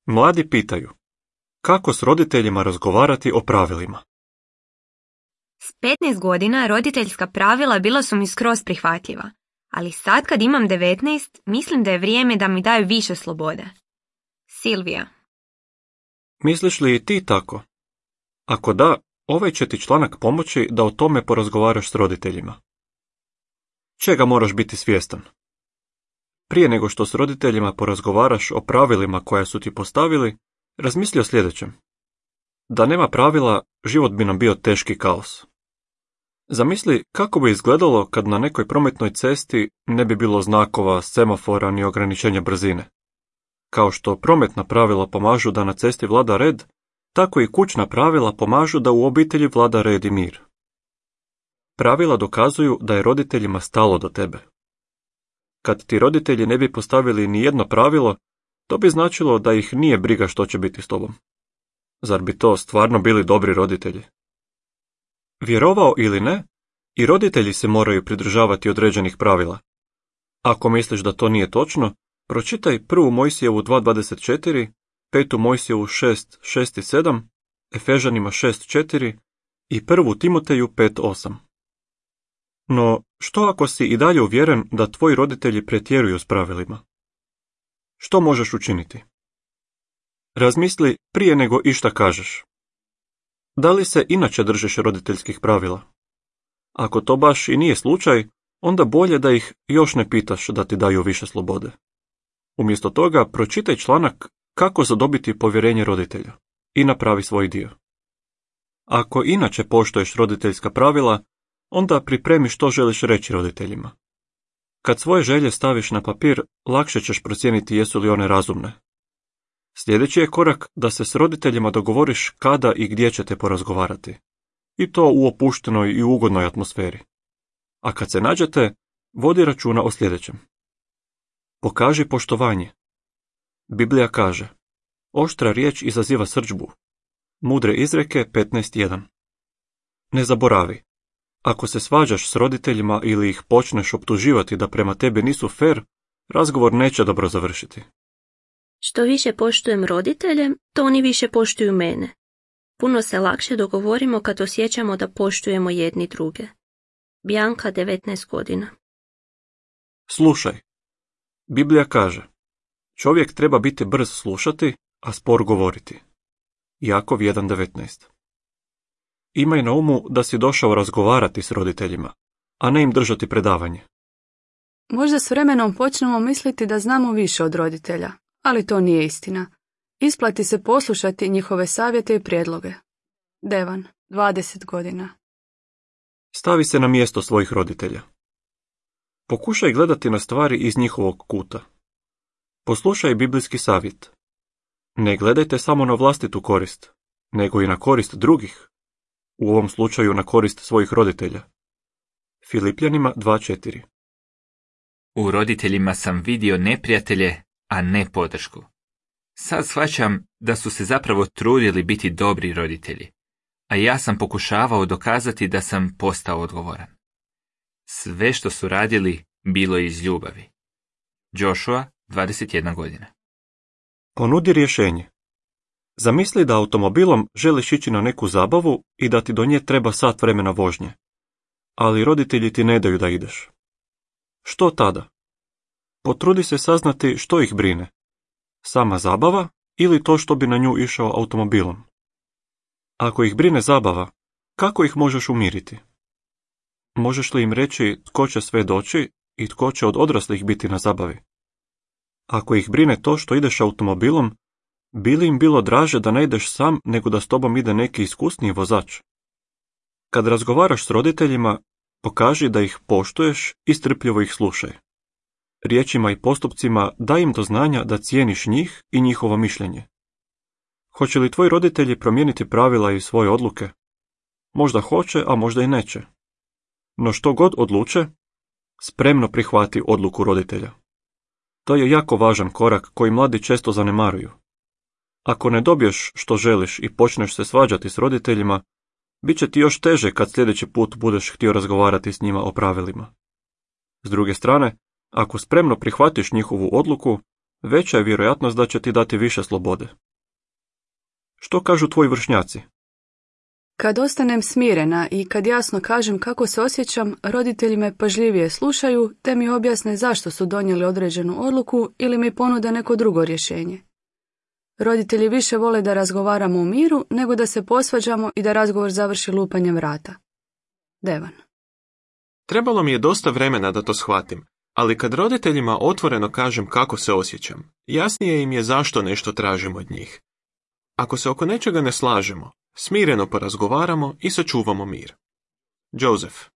Mladi pitaju, kako s roditeljima razgovarati o pravilima? S 15 godina roditeljska pravila bila su mi skroz prihvatljiva, ali sad kad imam 19, mislim da je vrijeme da mi daju više slobode. Silvija. Misliš li i ti tako? Ako da, ovaj će ti članak pomoći da o tome porazgovaraš s roditeljima. Čega moraš biti svjestan? Prije nego što s roditeljima porazgovaraš o pravilima koja su ti postavili, razmisli o sljedećem. Da nema pravila, život bi nam bio teški kaos. Zamisli kako bi izgledalo kad na nekoj prometnoj cesti ne bi bilo znakova, semafora ni ograničenja brzine. Kao što prometna pravila pomažu da na cesti vlada red, tako i kućna pravila pomažu da u obitelji vlada red i mir. Pravila dokazuju da je roditeljima stalo do tebe. Kad ti roditelji ne bi postavili ni jedno pravilo, to bi značilo da ih nije briga što će biti s tobom. Zar bi to stvarno bili dobri roditelji? Vjerovao ili ne, i roditelji se moraju pridržavati određenih pravila. Ako misliš da to nije točno, pročitaj 1. Mojsijevu 2.24, 5. Mojsijevu 6.6 i 7, Efežanima 6.4 i 1. Timoteju 5.8. No, što ako si i dalje uvjeren da tvoji roditelji pretjeruju s pravilima? Što možeš učiniti? Razmisli prije nego išta kažeš. Da li se inače držiš roditeljskih pravila? Ako to baš i nije slučaj, onda bolje da ih još ne pitaš da ti daju više slobode. Umjesto toga, pročitaj članak Kako zadobiti povjerenje roditelja i napravi svoj dio. Ako inače poštuješ roditeljska pravila, onda pripremi što želiš reći roditeljima. Kad svoje želje staviš na papir, lakše ćeš procijeniti jesu li one razumne. Sljedeći je korak da se s roditeljima dogovoriš kada i gdje ćete porazgovarati. I to u opuštenoj i ugodnoj atmosferi. A kad se nađete, vodi računa o sljedećem. Pokaži poštovanje. Biblija kaže, oštra riječ izaziva srdžbu. Mudre izreke 15.1. Ne zaboravi. Ako se svađaš s roditeljima ili ih počneš optuživati da prema tebi nisu fer, razgovor neće dobro završiti. Što više poštujem roditelje, to oni više poštuju mene. Puno se lakše dogovorimo kad osjećamo da poštujemo jedni druge. Bianca, 19 godina. Slušaj. Biblija kaže, čovjek treba biti brz slušati, a spor govoriti. Jakov 1.19. Imaj na umu da si došao razgovarati s roditeljima, a ne im držati predavanje. Možda s vremenom počnemo misliti da znamo više od roditelja, ali to nije istina. Isplati se poslušati njihove savjete i prijedloge. Devan, 20 godina. Stavi se na mjesto svojih roditelja. Pokušaj gledati na stvari iz njihovog kuta. Poslušaj biblijski savjet. Ne gledajte samo na vlastitu korist, nego i na korist drugih. U ovom slučaju na korist svojih roditelja. Filipljanima 2.4. U roditeljima sam vidio neprijatelje, a ne podršku. Sad shvaćam da su se zapravo trudili biti dobri roditelji, a ja sam pokušavao dokazati da sam postao odgovoran. Sve što su radili bilo je iz ljubavi. Joshua, 21 godina. Ponudi rješenje. Zamisli da automobilom želiš ići na neku zabavu i da ti do nje treba sat vremena vožnje, ali roditelji ti ne daju da ideš. Što tada? Potrudi se saznati što ih brine. Sama zabava ili to što bi na nju išao automobilom? Ako ih brine zabava, kako ih možeš umiriti? Možeš li im reći tko će sve doći i tko će od odraslih biti na zabavi? Ako ih brine to što ideš automobilom, bi li im bilo draže da ne ideš sam nego da s tobom ide neki iskusniji vozač? Kad razgovaraš s roditeljima, pokaži da ih poštuješ i strpljivo ih slušaj. Riječima i postupcima daj im do znanja da cijeniš njih i njihovo mišljenje. Hoće li tvoji roditelji promijeniti pravila i svoje odluke? Možda hoće, a možda i neće. No što god odluče, spremno prihvati odluku roditelja. To je jako važan korak koji mladi često zanemaruju. Ako ne dobiješ što želiš i počneš se svađati s roditeljima, bit će ti još teže kad sljedeći put budeš htio razgovarati s njima o pravilima. S druge strane, ako spremno prihvatiš njihovu odluku, veća je vjerojatnost da će ti dati više slobode. Što kažu tvoji vršnjaci? Kad ostanem smirena i kad jasno kažem kako se osjećam, roditelji me pažljivije slušaju te mi objasne zašto su donijeli određenu odluku ili mi ponude neko drugo rješenje. Roditelji više vole da razgovaramo u miru nego da se posvađamo i da razgovor završi lupanjem vrata. Devan. Trebalo mi je dosta vremena da to shvatim, ali kad roditeljima otvoreno kažem kako se osjećam, jasnije im je zašto nešto tražim od njih. Ako se oko nečega ne slažemo, smireno porazgovaramo i sačuvamo mir. Joseph.